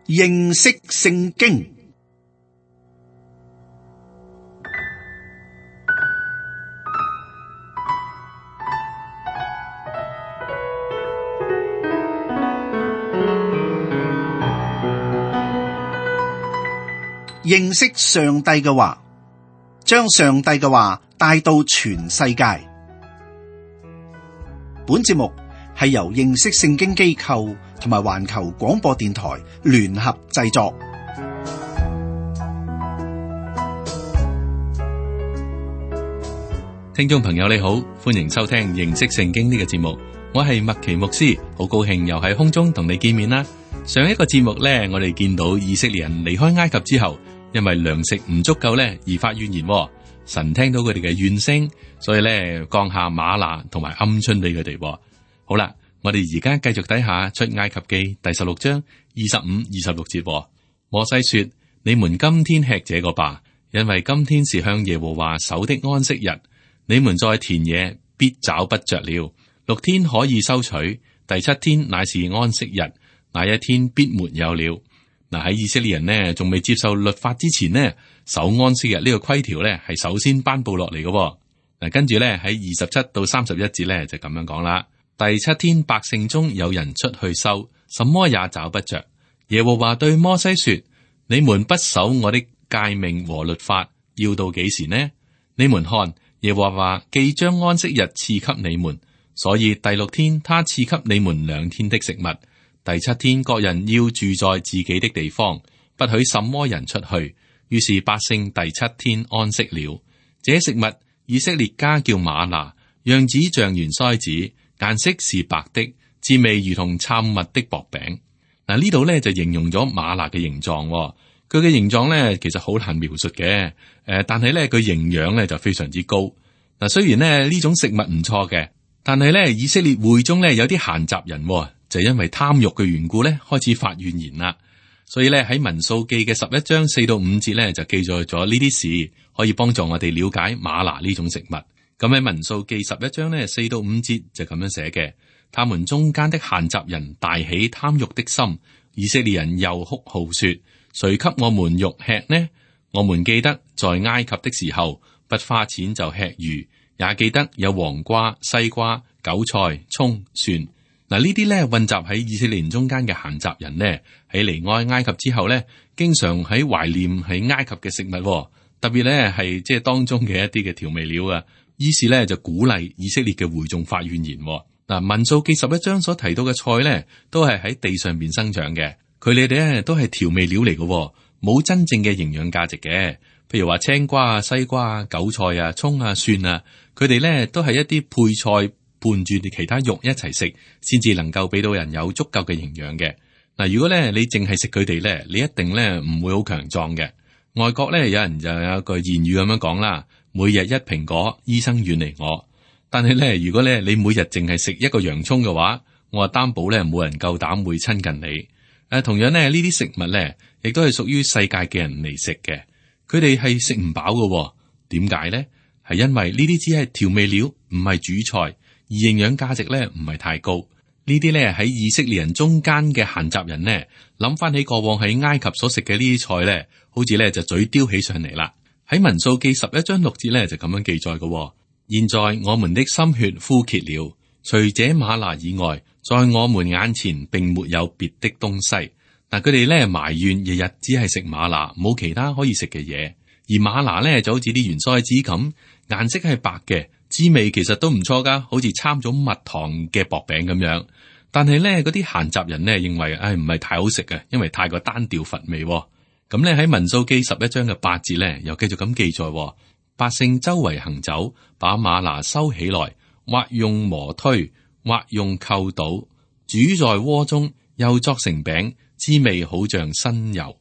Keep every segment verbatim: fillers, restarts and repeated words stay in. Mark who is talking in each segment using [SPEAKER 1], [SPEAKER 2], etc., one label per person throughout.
[SPEAKER 1] 認識聖經。認識上帝嘅話，將上帝嘅話帶到全世界。本節目係由認識聖經機構同埋環球廣播電台聯合製作。
[SPEAKER 2] 聽眾朋友你好，歡迎收聽認識聖經呢個節目，我係麥奇牧師，好高興又喺空中同你見面啦。上一個節目呢，我哋見到以色列人離開埃及之後，因為糧食唔足夠咧，而發怨言。神聽到佢哋嘅怨聲，所以咧降下嗎哪同埋鵪鶉俾佢哋。好啦，我哋而家繼續睇下出埃及記第十六章二十五、二十六節。摩西說：你們今天吃這個吧，因為今天是向耶和華守的安息日。你們在田野必找不着了，六天可以收取，第七天乃是安息日，那一天必沒有了。嗱，喺以色列人呢仲未接受律法之前呢，守安息日呢個規條呢係首先頒布落嚟嘅。嗱，跟住呢喺二十七到三十一節呢就咁樣講啦。第七天百姓中有人出去收，什麼也找不着。耶和華對摩西說：你們不守我的誡命和律法，要到幾時呢？你們看，耶和華既將安息日賜給你們，所以第六天他賜給你們兩天的食物。第七天各人要住在自己的地方，不許什麼人出去。於是百姓第七天安息了。這食物以色列家叫嗎哪，樣子像圓篩子，顏色是白的，滋味如同摻蜜的薄餅。嗱，呢度咧就形容咗嗎哪嘅形狀。佢嘅形狀咧其實好難描述嘅。誒，但係咧佢營養咧就非常之高。嗱，雖然咧呢種食物唔錯嘅，但係咧以色列會中咧有啲閒雜人。就因為貪欲嘅緣故咧，開始發怨言啦。所以咧喺民數記嘅十一章四到五節咧，就記載咗呢啲事，可以幫助我哋了解嗎哪呢種食物。咁喺民數記十一章咧四到五節就咁樣寫嘅：他們中間的閒雜人大起貪欲的心，以色列人又哭號說：誰給我們肉吃呢？我們記得在埃及的時候，不花錢就吃魚，也記得有黃瓜、西瓜、韭菜、蔥、蒜。嗱，呢啲咧混雜喺以色列人中間嘅閒雜人呢，喺離開埃及之後咧，經常喺懷念喺埃及嘅食物，特別咧係即係當中嘅一啲嘅調味料啊。於是咧就鼓勵以色列嘅會眾發怨言。嗱，民數記十一章所提到嘅菜咧，都係喺地上邊生長嘅，佢哋咧都係調味料嚟嘅，冇真正嘅營養價值嘅。譬如話青瓜啊、西瓜啊、韭菜啊、蔥啊、蒜啊，佢哋咧都係一啲配菜。伴住其他肉一齊食，先至能夠俾到人有足夠嘅營養嘅。嗱，如果咧你淨係食佢哋咧，你一定咧唔會好強壯嘅。外國咧有人就有一句諺語咁樣講啦：每日一蘋果，醫生遠離我。但係咧，如果咧你每日淨係食一個洋蔥嘅話，我話擔保咧冇人夠膽會親近你。誒，同樣咧呢啲食物咧，亦都係屬於世界嘅人嚟食嘅，佢哋係食唔飽嘅。點解咧？係因為呢啲只係調味料，唔係主菜。而營養價值咧唔係太高，呢啲咧喺以色列人中間嘅閒雜人呢，諗翻起過往喺埃及所食嘅呢啲菜咧，好似咧就嘴叼起上嚟啦。喺民數記十一章六節咧就咁樣記載嘅：現在我們的心血枯竭了，除這嗎哪以外，在我們眼前並沒有別的東西。嗱，佢哋咧埋怨日日只係食嗎哪，冇其他可以食嘅嘢。而嗎哪咧就好似啲圓篩子咁，顏色係白嘅。滋味其實都唔錯噶，好似摻咗蜜糖嘅薄餅咁樣。但係咧，嗰啲閒雜人咧認為，唉，唔係太好食嘅，因為太過單調乏味。咁咧喺民數記十一章嘅八節咧，又繼續咁記載：百姓周圍行走，把嗎哪收起來，或用磨推，或用扣倒，煮在鍋中，又作成餅，滋味好像新油。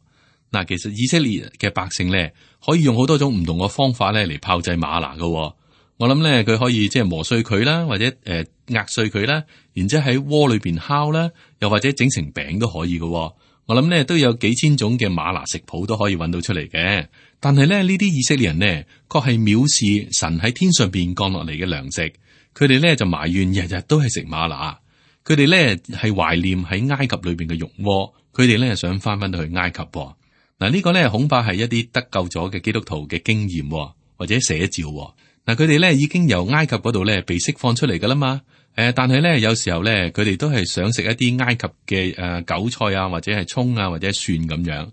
[SPEAKER 2] 嗱，其實以色列嘅百姓咧，可以用好多種唔同嘅方法咧嚟炮製嗎哪噶。我諗咧，佢可以即係磨碎佢啦，或者誒壓碎佢啦，然之後喺鍋裏邊烤啦，又或者整成餅都可以嘅。我諗咧都有幾千種嘅嗎哪食譜都可以揾到出嚟嘅。但係咧呢啲以色列人呢，確係藐視神喺天上邊降落嚟嘅糧食。佢哋咧就埋怨日日都係食嗎哪。佢哋咧係懷念喺埃及裏邊嘅肉鍋，佢哋咧想翻返到去埃及。嗱，呢個咧恐怕係一啲得救咗嘅基督徒嘅經驗或者寫照。嗱，佢哋咧已經由埃及嗰度咧被釋放出嚟噶啦嘛。誒，但係咧有時候咧，佢哋都係想食一啲埃及嘅誒韭菜啊，或者係蔥啊，或者蒜咁樣。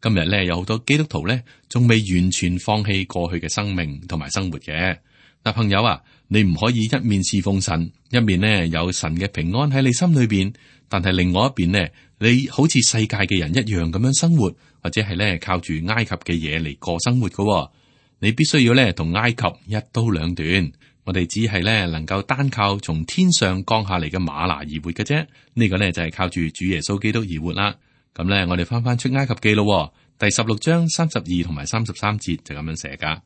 [SPEAKER 2] 今日咧有好多基督徒咧，仲未完全放棄過去嘅生命同埋生活嘅。嗱，朋友啊，你唔可以一面侍奉神，一面呢有神嘅平安喺你心裏邊，但係另外一邊呢，你好似世界嘅人一樣咁樣生活，或者係咧靠住埃及嘅嘢嚟過生活噶。你必須要咧同埃及一刀兩斷。我哋只係咧能夠單靠從天上降下嚟嘅嗎哪而活嘅啫。呢個咧就係靠住主耶穌基督而活啦。咁咧，我哋翻翻出埃及記咯，第十六章三十二同埋三十三節就咁樣寫噶。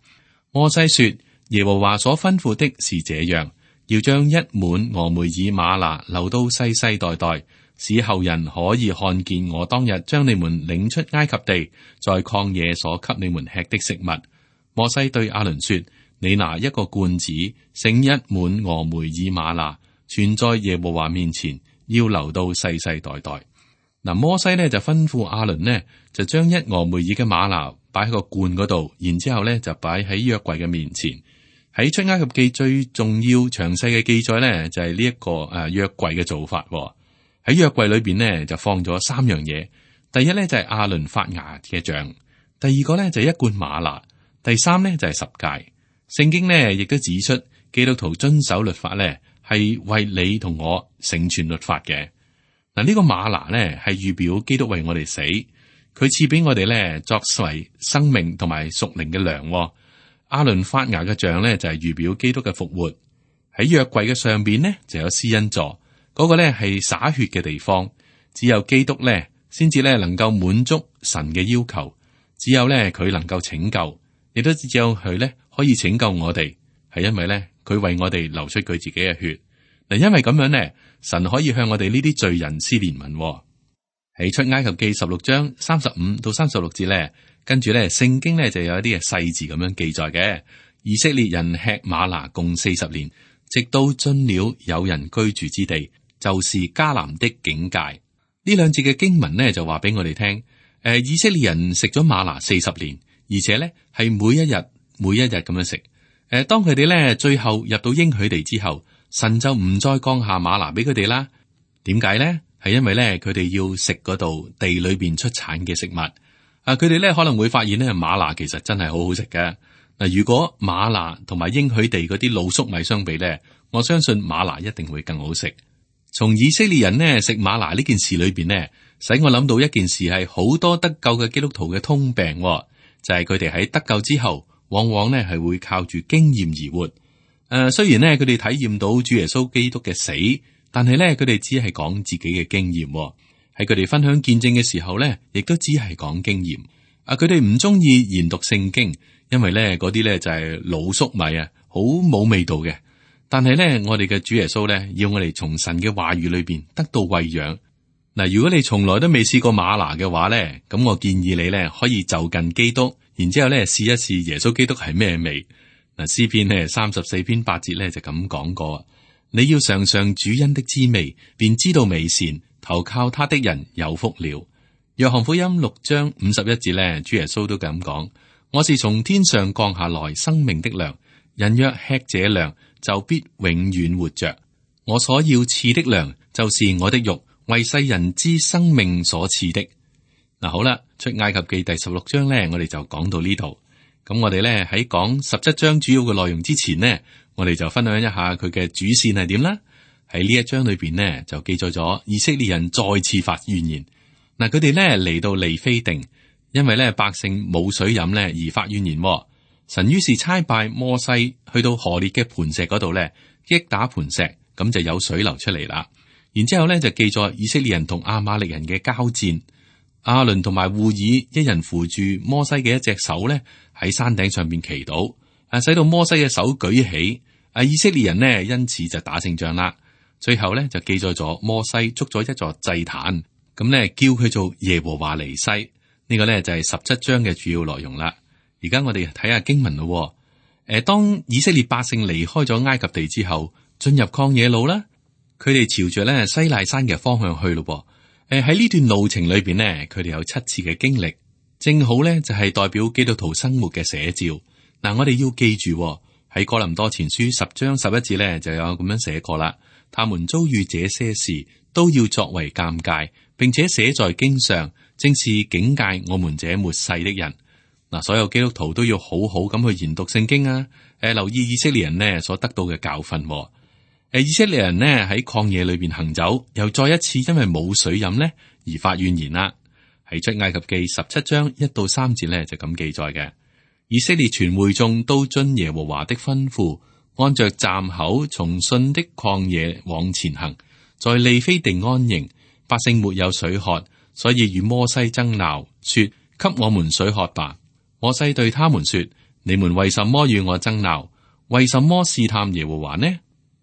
[SPEAKER 2] 摩西說：耶和華所吩咐的是這樣，要將一滿俄梅爾嗎哪留到世世代代，使後人可以看見我當日將你們領出埃及地，在曠野所給你們吃的食物。摩西對亞倫說：你拿一個罐子，盛一滿俄梅爾嗎哪，存在耶和華面前，要留到世世代代。嗱，摩西咧就吩咐亞倫呢，就將一俄梅爾嘅嗎哪擺喺個罐嗰度，然之後咧就擺喺約櫃嘅面前。喺出埃及記最重要詳細嘅記載咧，就係呢一個誒約櫃嘅做法。喺約櫃裏邊呢，就放咗三樣嘢。第一咧就係亞倫發芽嘅杖，第二個咧就係一罐嗎哪，第三咧就係十誡。聖經呢亦都指出，基督徒遵守律法咧係為你同我成全律法嘅。嗱，呢個嗎哪咧係預表基督為我哋死，佢賜俾我哋咧作為生命同埋屬靈嘅糧。亞倫發芽嘅杖咧就係預表基督嘅復活。喺約櫃嘅上邊呢就有施恩座，嗰個咧係灑血嘅地方。只有基督咧先至咧能夠滿足神嘅要求，只有咧佢能夠拯救，亦都只有佢咧可以拯救我哋，係因為咧佢為我哋流出佢自己嘅血。嗱，因為咁樣咧，神可以向我哋呢啲罪人施憐憫。喺出埃及記十六章三十五到三十六節咧，跟住咧聖經咧就有一啲嘅細字咁樣記載嘅。以色列人吃嗎哪共四十年，直到進了有人居住之地，就是迦南的境界。呢兩節嘅經文咧就話俾我哋聽，誒，以色列人食咗嗎哪四十年，而且咧係每一日每一日咁樣食。誒，當佢哋咧最後入到應許地之後，神就唔再降下嗎哪俾佢哋啦。點解咧？係因為咧佢哋要食嗰度地裏邊出產嘅食物。啊，佢哋咧可能會發現咧嗎哪其實真係好好食嘅。嗱，如果嗎哪同埋應許地嗰啲老粟米相比咧，我相信嗎哪一定會更好食。從以色列人呢食嗎哪呢件事裏邊呢，使我諗到一件事係好多得救嘅基督徒嘅通病，就係佢哋喺得救之後，往往呢係會靠住經驗而活。誒、呃，雖然呢，佢哋體驗到主耶穌基督嘅死，但係呢，佢哋只係講自己嘅經驗。喺佢哋分享見證嘅時候呢，亦都只係講經驗。啊，佢哋唔中意研讀聖經，因為呢嗰啲呢就係老粟米啊，好冇味道嘅。但係呢，我哋嘅主耶穌呢，要我哋從神嘅話語裏邊得到餵養。嗱，如果你從來都未試過嗎哪嘅話呢，咁我建議你呢，可以就近基督，然之後呢試一試耶穌基督係咩味。嗱，詩篇呢三十四篇八節呢就咁講過：你要嘗嘗主恩的滋味，便知道美善，投靠他的人有福了。約翰福音六章五十一節呢，主耶穌都咁講：我是從天上降下來生命的糧，人若吃這糧，就必永遠活着。我所要賜的糧，就是我的肉，為世人之生命所賜的。嗱，好啦，出埃及記第十六章咧，我哋就講到呢度。咁我哋咧喺講十七章主要嘅內容之前呢，我哋就分享一下佢嘅主線係點啦。喺呢一章裏邊呢，就記載咗以色列人再次發怨言。嗱，佢哋咧嚟到利非定，因為咧百姓冇水飲咧而發怨言。神於是差派摩西去到何烈嘅磐石嗰度咧，擊打磐石，咁就有水流出嚟啦。然之後咧就記載以色列人同亞瑪力人嘅交戰，亞倫同埋戶珥一人扶住摩西嘅一隻手咧喺山頂上邊祈禱，啊，使到摩西嘅手舉起，啊，以色列人呢因此就打勝仗啦。最後咧就記載咗摩西築咗一座祭壇，咁咧叫佢做耶和華尼西。呢、這個咧就係十七章嘅主要內容啦。而家我哋睇下經文咯。誒，當以色列百姓離開咗埃及地之後，進入曠野路啦，佢哋朝着咧西奈山嘅方向去咯。誒喺呢段路程裏邊呢，佢哋有七次嘅經歷，正好咧就係代表基督徒生活嘅寫照。嗱，我哋要記住喺哥林多前書十章十一節咧就有咁樣寫過啦。他們遭遇這些事，都要作為鑑戒，並且寫在經上，正是警戒我們這末世的人。嗱，所有基督徒都要好好咁去研讀聖經啊！誒，留意以色列人呢所得到嘅教訓。誒，以色列人呢喺曠野裏邊行走，又再一次因為冇水飲呢而發怨言啦。喺出埃及記十七章一到三節呢就咁記載嘅。以色列全會眾都遵耶和華的吩咐，按着站口從汛的曠野往前行，在利非定安營。百姓沒有水喝，所以與摩西爭鬧，說：給我們水喝吧。摩西對他們說：你們為什麼與我爭鬧？為什麼試探耶和華呢？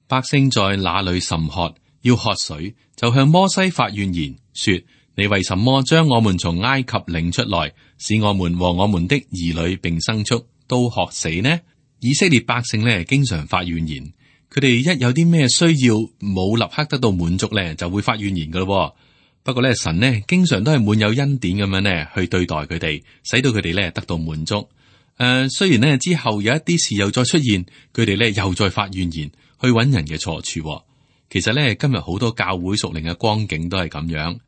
[SPEAKER 2] 百姓在那裏甚渴，要喝水，就向摩西發怨言，說：你為什麼將我們從埃及領出來，使我們和我們的兒女並牲畜都渴死呢？以色列百姓呢，經常發怨言，佢哋一有啲咩需要冇立刻得到滿足呢，就會發怨言噶咯。不過咧，神呢經常都係滿有恩典咁樣呢去對待佢哋，使到佢哋咧得到滿足。誒、呃，雖然呢之後有一啲事又再出現，佢哋咧又再發怨言，去揾人嘅錯處。其實咧今日好多教會屬靈嘅光景都係咁樣，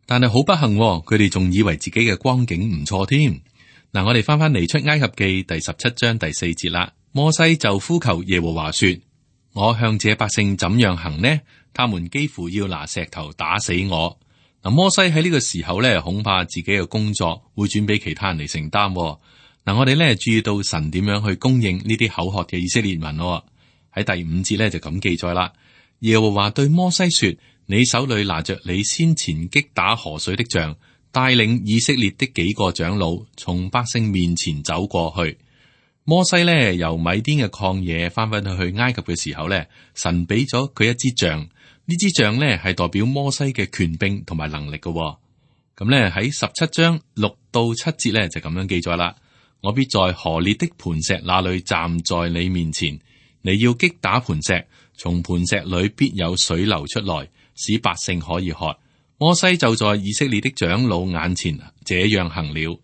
[SPEAKER 2] 但係好不幸，佢哋仲以為自己嘅光景唔錯添。嗱，我哋翻翻嚟出埃及記第十七章第四節啦。摩西就呼求耶和華說：我向這百姓怎樣行呢？他們幾乎要拿石頭打死我。嗱，摩西喺呢個時候咧，恐怕自己嘅工作會轉俾其他人嚟承擔。嗱，我哋咧注意到神點樣去供應呢啲口渴嘅以色列民。喺第五節咧就咁記載啦。耶和華對摩西說：你手裏拿着你先前擊打河水的杖，帶領以色列的幾個長老從百姓面前走過去。摩西咧由米甸嘅曠野翻返去去埃及嘅時候咧，神俾咗佢一支杖。呢支杖咧係代表摩西嘅權柄同埋能力嘅。咁咧喺十七章六到七節咧就咁樣記載啦。我必在河烈的磐石那裏站在你面前，你要擊打磐石，從磐石裏必有水流出來，使百姓可以喝。摩西就在以色列的長老眼前這樣行了。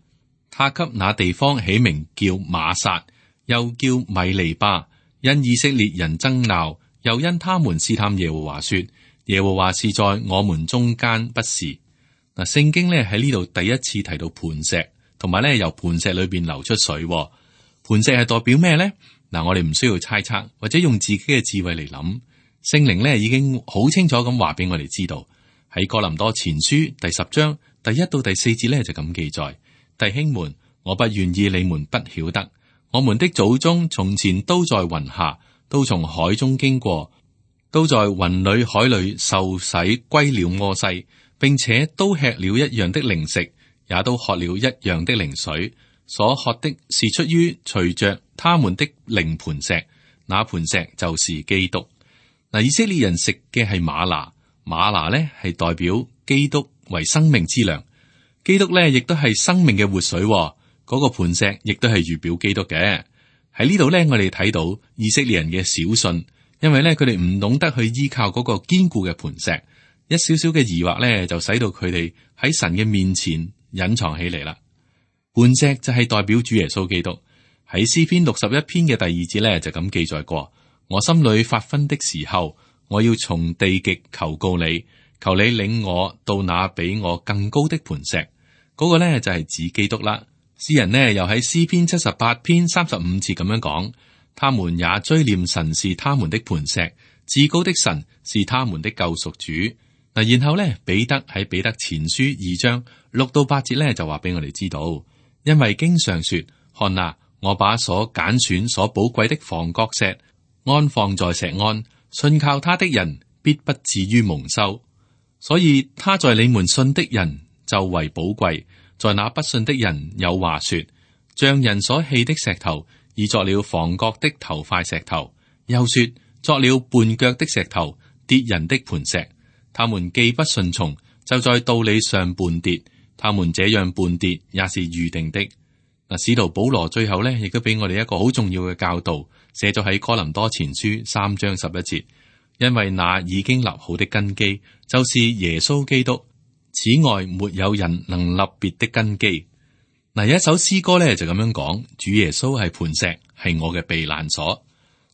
[SPEAKER 2] 他給那地方起名叫瑪撒，又叫米利巴，因以色列人爭鬧，又因他們試探耶和華，說：耶和華是在我們中間，不是。嗱，聖經咧喺呢度第一次提到磐石，同埋咧由磐石裏邊流出水。磐石係代表咩咧？嗱，我哋唔需要猜測，或者用自己嘅智慧嚟諗。聖靈咧已經好清楚咁話俾我哋知道，喺哥林多前書第十章第一到第四節咧就咁記載：弟兄們，我不願意你們不曉得，我們的祖宗從前都在雲下，都從海中經過，都在雲裏海裏受洗歸了摩西，並且都吃了一樣的靈食，也都喝了一樣的靈水。所喝的是出於隨着他們的靈磐石，那磐石就是基督。嗱，以色列人食嘅係嗎哪，嗎哪咧係代表基督為生命之糧，基督咧亦都係生命嘅活水。嗰、那個磐石亦都係預表基督嘅。喺呢度咧，我哋睇到以色列人嘅小信，因為咧佢哋唔懂得去依靠嗰個堅固嘅磐石，一少少嘅疑惑咧就使到佢哋喺神嘅面前隱藏起嚟啦。磐石就係代表主耶穌基督。喺詩篇六十一篇嘅第二節咧就咁記載過：我心裏發昏的時候，我要從地極求告你，求你領我到那比我更高的磐石。嗰、那個咧就係指基督啦。詩人呢又喺詩篇七十八篇三十五節咁樣講：他們也追念神是他們的磐石，至高的神是他們的救贖主。嗱，然後咧彼得喺彼得前書二章六到八節咧就話俾我哋知道，因為經上說：看哪，我把所揀選所寶貴的房角石安放在錫安，信靠他的人必不至於蒙羞。所以他在你們信的人就為寶貴，在那不信的人有話說：匠人所棄的石頭，已作了房角的頭塊石頭；又說作了絆腳的石頭，跌人的磐石。他們既不順從，就在道理上絆跌。他們這樣絆跌，也是預定的。嗱，使徒保羅最後咧，亦都俾我哋一個好重要嘅教導，寫咗喺哥林多前書三章十一節。因為那已經立好的根基，就是耶穌基督，此外沒有人能立別的根基。嗱，有一首詩歌咧就咁樣講：主耶穌係磐石，係我嘅避難所。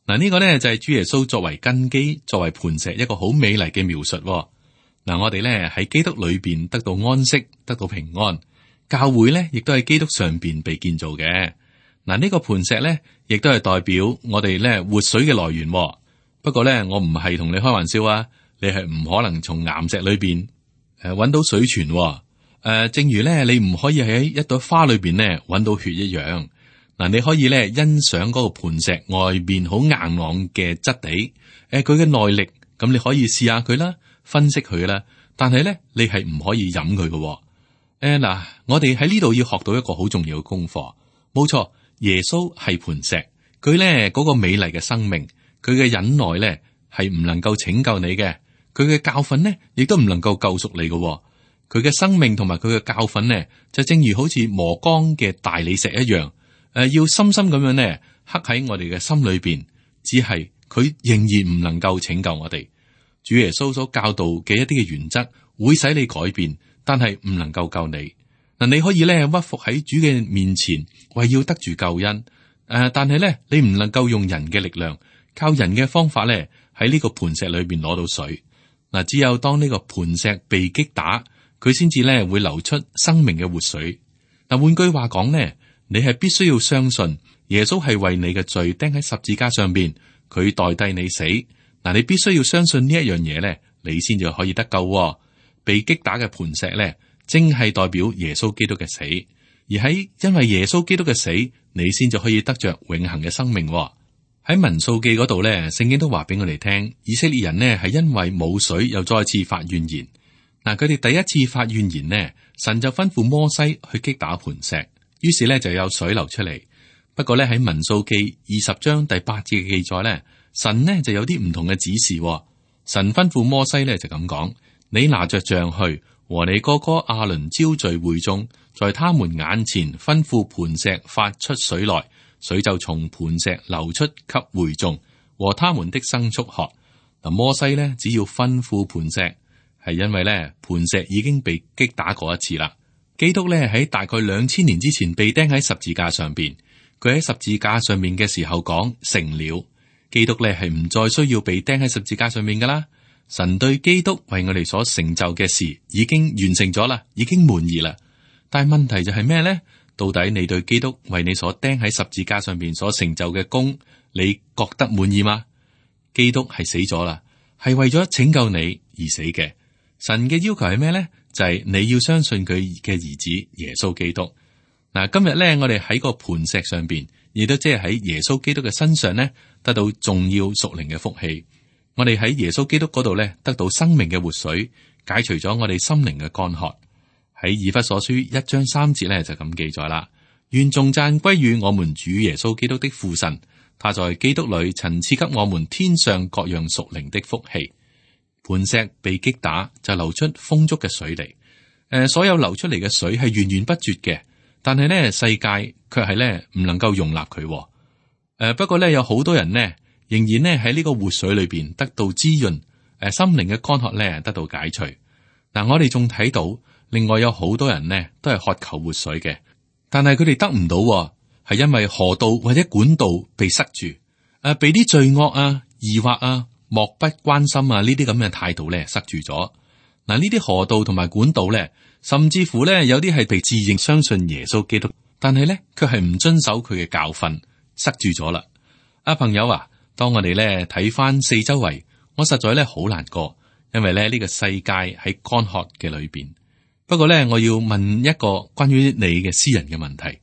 [SPEAKER 2] 嗱，呢個咧就係主耶穌作為根基、作為磐石一個好美麗嘅描述。嗱，我哋咧喺基督裏邊得到安息，得到平安。教會咧亦都喺基督上邊被建造嘅。嗱，呢個磐石咧亦都係代表我哋咧活水嘅來源。不過咧，我唔係同你開玩笑啊，你係唔可能從岩石裏邊誒搵到水泉。誒、呃，正如咧你唔可以喺一朵花裏邊咧搵到血一樣。嗱，你可以咧欣賞嗰個磐石外邊好硬朗嘅質地，誒、呃，佢嘅耐力，咁你可以試下佢啦，分析佢啦。但係咧，你係唔可以飲佢嘅。誒、呃，嗱，我哋喺呢度要學到一個好重要嘅功課。冇錯，耶穌係磐石，佢咧嗰個美麗嘅生命，佢嘅忍耐咧係唔能夠拯救你嘅，佢嘅教訓咧亦都唔能夠救贖你嘅。佢嘅生命同埋佢嘅教訓咧，就正如好似磨光嘅大理石一樣。誒、呃，要深深咁樣咧，刻喺我哋嘅心裏邊，只係佢仍然唔能夠拯救我哋。主耶穌所教導嘅一啲嘅原則，會使你改變，但係唔能夠救你。嗱，你可以咧屈服喺主嘅面前，為要得住救恩。誒、呃，但係咧，你唔能夠用人嘅力量，靠人嘅方法咧，喺呢個磐石裏邊攞到水。嗱、呃，只有當呢個磐石被擊打，佢先至咧會流出生命嘅活水。嗱、呃，換句話講咧。你係必須要相信耶穌係為你嘅罪釘喺十字架上邊，佢代替你死。嗱，你必須要相信呢一樣嘢咧，你先至可以得救。被擊打嘅磐石咧，正係代表耶穌基督嘅死，而喺因為耶穌基督嘅死，你先至可以得着永恆嘅生命。喺民數記嗰度咧，聖經都話俾我哋聽，以色列人呢係因為冇水，又再次發怨言。嗱，佢哋第一次發怨言呢，神就吩咐摩西去擊打磐石。於是咧就有水流出嚟。不過咧喺民數記二十章第八節嘅記載咧，神呢就有啲唔同嘅指示。神吩咐摩西咧就咁講：你拿着杖去，和你哥哥亞倫招聚會眾，在他們眼前吩咐磐石發出水來，水就從磐石流出給會眾和他們的牲畜喝。嗱，摩西咧只要吩咐磐石，係因為咧磐石已經被擊打過一次啦。基督咧喺大概兩千年之前被釘喺十字架上邊，佢喺十字架上面嘅時候講成了。基督咧係唔再需要被釘喺十字架上面噶啦。神對基督為我哋所成就嘅事已經完成咗啦，已經滿意啦。但係問題就係咩咧？到底你對基督為你所釘喺十字架上邊所成就嘅功，你覺得滿意嗎？基督係死咗啦，係為咗拯救你而死嘅。神嘅要求係咩咧？就係你要相信佢嘅兒子耶穌基督。嗱，今日咧，我哋喺個磐石上邊，亦都即係喺耶穌基督嘅身上咧，得到重要屬靈嘅福氣。我哋喺耶穌基督嗰度咧，得到生命嘅活水，解除咗我哋心靈嘅乾渴。喺以弗所書一章三節咧就咁記載啦：願頌讚歸於我們主耶穌基督的父神，他在基督裏曾賜給我們天上各樣屬靈的福氣。磐石被擊打就流出豐足嘅水嚟，誒、呃，所有流出嚟嘅水係源源不絕嘅，但係呢世界卻係咧唔能夠容納佢。誒、呃，不過咧有好多人呢仍然呢喺呢個活水裏邊得到滋潤，誒、呃，心靈嘅乾渴咧得到解除。嗱、呃，我哋仲睇到另外有好多人呢都係渴求活水嘅，但係佢哋得唔到，係因為河道或者管道被塞住，誒、呃，被啲罪惡啊、疑惑啊、漠不關心啊，呢啲咁嘅態度咧塞住咗。嗱，呢啲河道同埋管道咧，甚至乎咧有啲係被自認相信耶穌基督，但係咧卻係唔遵守佢嘅教訓，塞住咗啦。啊，朋友啊，當我哋咧睇翻四周圍，我實在咧好難過，因為咧呢個世界喺乾渴嘅裏邊。不過咧，我要問一個關於你嘅私人嘅問題：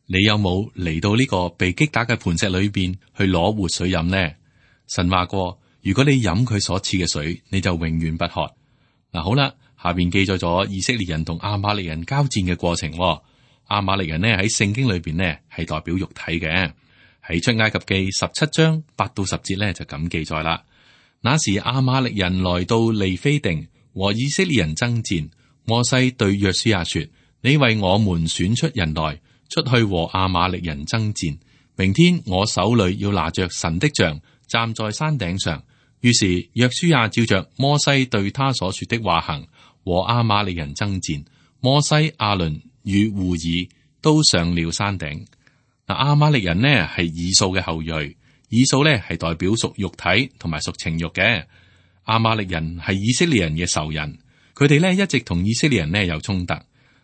[SPEAKER 2] 你有冇嚟到呢個被擊打嘅磐石裏邊去攞活水飲呢？神話過，如果你飲佢所賜嘅水，你就永遠不渴。嗱，好啦，下邊記載咗以色列人同亞瑪力人交戰嘅過程。亞瑪力人呢喺聖經裏邊呢係代表肉體嘅，喺出埃及記十七章八到十節呢就咁記載啦。那時亞瑪力人來到利非定和以色列人爭戰，摩西對約書亞說：你為我們選出人來，出去和亞瑪力人爭戰。明天我手裏要拿着神的杖，站在山頂上。於是約書亞照着摩西對他所說的話行，和亞瑪力人爭戰。摩西、亞倫與戶珥都上了山頂。嗱，亞瑪力人呢係以掃嘅後裔，以掃呢係代表屬肉體同埋屬情欲嘅。亞瑪力人係以色列人嘅仇人，佢哋呢一直同以色列人呢有衝突。誒、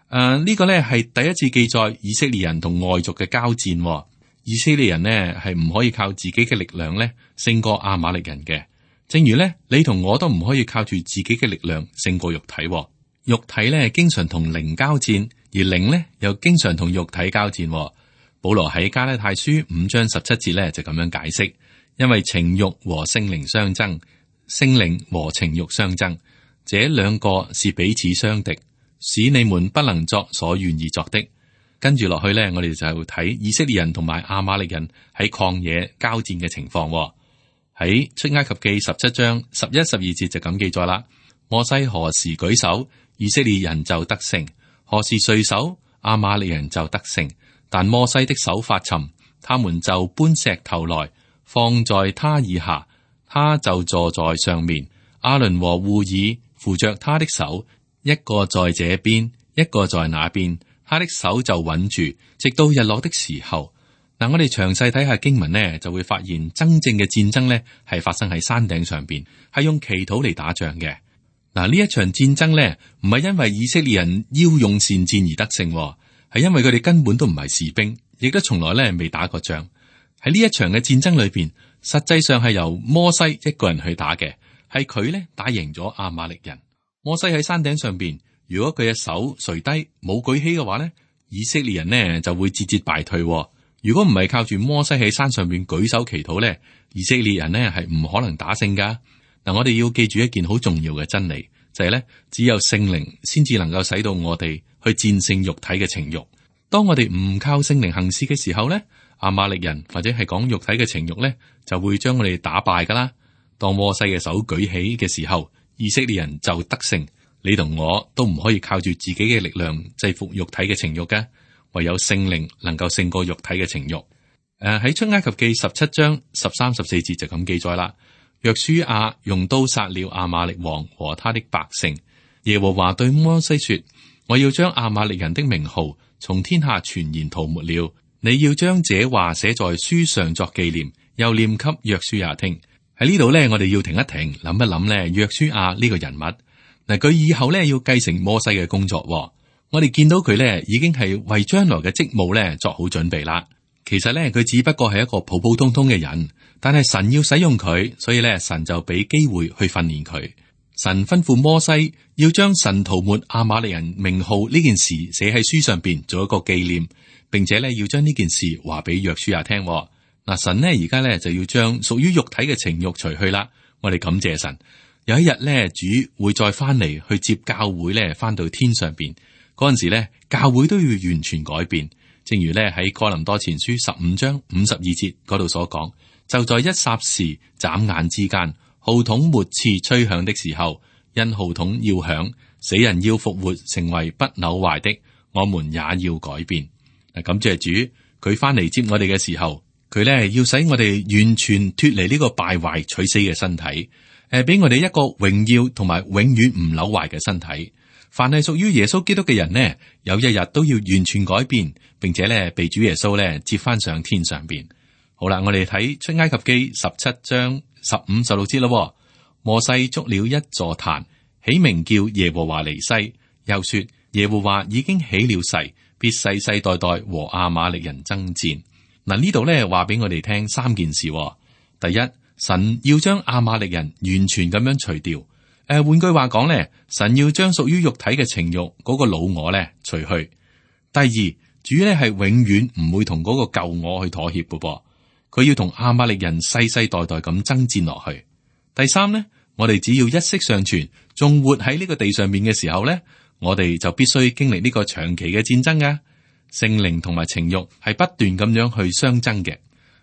[SPEAKER 2] 呃，呢、這個呢係第一次記載以色列人同外族嘅交戰、哦。以色列人呢係唔可以靠自己嘅力量呢勝過亞瑪力人嘅。正如呢，你同我都唔可以靠住自己嘅力量勝過肉體、哦。肉體呢經常同靈交戰，而靈呢又經常同肉體交戰、哦。保羅喺加拉太書五章十七節呢就咁樣解釋，因為情欲和聖靈相爭，聖靈和情欲相爭，這兩個是彼此相敵，使你們不能作所願意作的。跟住落去呢，我哋就睇以色列人同埋亞瑪力人喺曠野交戰嘅情況、哦。喺出埃及記十七章十一、十二節就咁記載啦。摩西何時舉手，以色列人就得勝；何時垂手，亞瑪力人就得勝。但摩西的手發沉，他們就搬石頭來放在他以下，他就坐在上面。亞倫和戶珥扶着他的手，一個在這邊，一個在那邊，他的手就穩住，直到日落的時候。嗱，我哋詳細睇下經文呢，就會發現真正嘅戰爭呢係發生喺山頂上邊，係用祈禱嚟打仗嘅。嗱，呢一場戰爭呢，唔係因為以色列人驍勇善戰而得勝，係因為佢哋根本都唔係士兵，亦都從來呢未打過仗。喺呢一場嘅戰爭裏邊，實際上係由摩西一個人去打嘅，係佢呢打贏咗亞瑪力人。摩西喺山頂上邊，如果佢嘅手垂低冇舉起嘅話呢，以色列人呢就會節節敗退。如果唔係靠住摩西喺山上邊舉手祈禱咧，以色列人呢係唔可能打勝噶。嗱，我哋要記住一件好重要嘅真理，就係咧，只有聖靈先至能夠使到我哋去戰勝肉體嘅情慾。當我哋唔靠聖靈行事嘅時候咧，亞瑪力人或者係講肉體嘅情慾咧，就會將我哋打敗噶啦。當摩西嘅手舉起嘅時候，以色列人就得勝。你同我都唔可以靠住自己嘅力量制服肉體嘅情慾嘅。唯有聖靈能夠勝過肉體嘅情慾。誒、呃，喺出埃及記十七章十三、十四節就咁記載啦。約書亞用刀殺了亞瑪力王和他的百姓。耶和華對摩西說：我要將亞瑪力人的名號從天下全然塗抹了。你要將這話寫在書上作紀念，又念給約書亞聽。喺呢度呢，我哋要停一停，諗一諗呢約書亞呢個人物。嗱，佢以後呢要繼承摩西嘅工作、哦。我哋見到佢咧，已經係為將來嘅職務咧作好準備啦。其實咧，佢只不過係一個普普通通嘅人，但係神要使用佢，所以咧，神就俾機會去訓練佢。神吩咐摩西要將神塗抹亞瑪力人名號呢件事寫喺書上邊，做一個紀念，並且咧要將呢件事話俾約書亞聽。嗱，神呢而家咧就要將屬於肉體嘅情慾除去啦。我哋感謝神，有一日咧，主會再翻嚟去接教會咧，翻到天上邊。嗰陣時咧，教會都要完全改變，正如咧喺哥林多前書十五章五十二節嗰度所講，就在一霎時、眨眼之間，號筒末次吹響的時候，因號筒要響，死人要復活，成為不朽壞的，我們也要改變。嗱，感謝主，佢翻嚟接我哋嘅時候，佢咧要使我哋完全脫離呢個敗壞取死嘅身體，誒，俾我哋一個榮耀同埋永遠唔朽壞嘅身體。凡係屬於耶穌基督嘅人呢，有一日都要完全改變，並且咧被主耶穌咧接翻上天上邊。好啦，我哋睇出埃及記十七章十五、十六節咯。摩西築了一座壇，起名叫耶和華尼西，又說耶和華已經起了誓，必世世代代和亞瑪力人爭戰。嗱，呢度咧話俾我哋聽三件事。第一，神要將亞瑪力人完全咁樣除掉。誒，換句話講咧，神要將屬於肉體嘅情慾嗰個老我咧除去。第二，主咧係永遠唔會同嗰個舊我去妥協嘅噃，佢要同亞瑪力人世世代代咁爭戰落去。第三咧，我哋只要一息尚存，仲活喺呢個地上面嘅時候咧，我哋就必須經歷呢個長期嘅戰爭噶。聖靈同埋情慾係不斷咁樣去相爭嘅。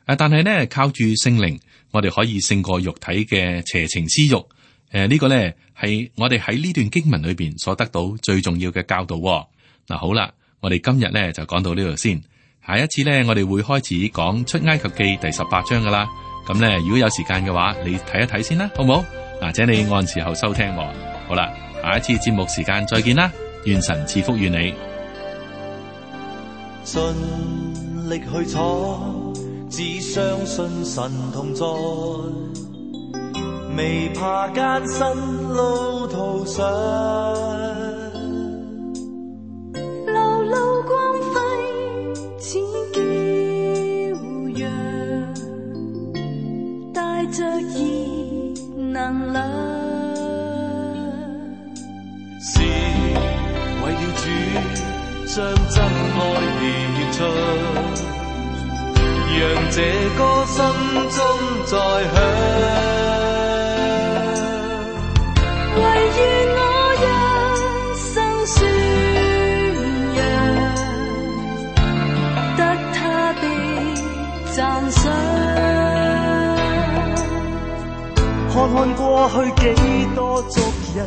[SPEAKER 2] 誒，但係咧靠住聖靈，我哋可以勝過肉體嘅邪情私慾。誒，呃這個、呢個咧係我哋喺呢段經文裏邊所得到最重要嘅教導、哦。嗱、啊，好啦，我哋今日咧就講到呢度先。下一次咧，我哋會開始講出埃及記第十八章噶啦。咁咧，如果有時間嘅話，你睇一睇先啦，好唔好？嗱，請你按時候收聽、哦。好啦，下一次節目時間再見啦，願神賜福於你。
[SPEAKER 3] 盡力去闖，只相信神同在，未怕艱辛路途上，
[SPEAKER 4] 路路光輝似驕陽，帶着熱能量，
[SPEAKER 3] 是為了主將真愛獻出，讓這歌心中再響。
[SPEAKER 4] 唯願我一生宣揚，得他的讚賞。
[SPEAKER 3] 看看過去幾多族人，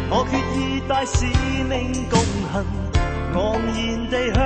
[SPEAKER 3] 我決意帶使命共行，昂然地向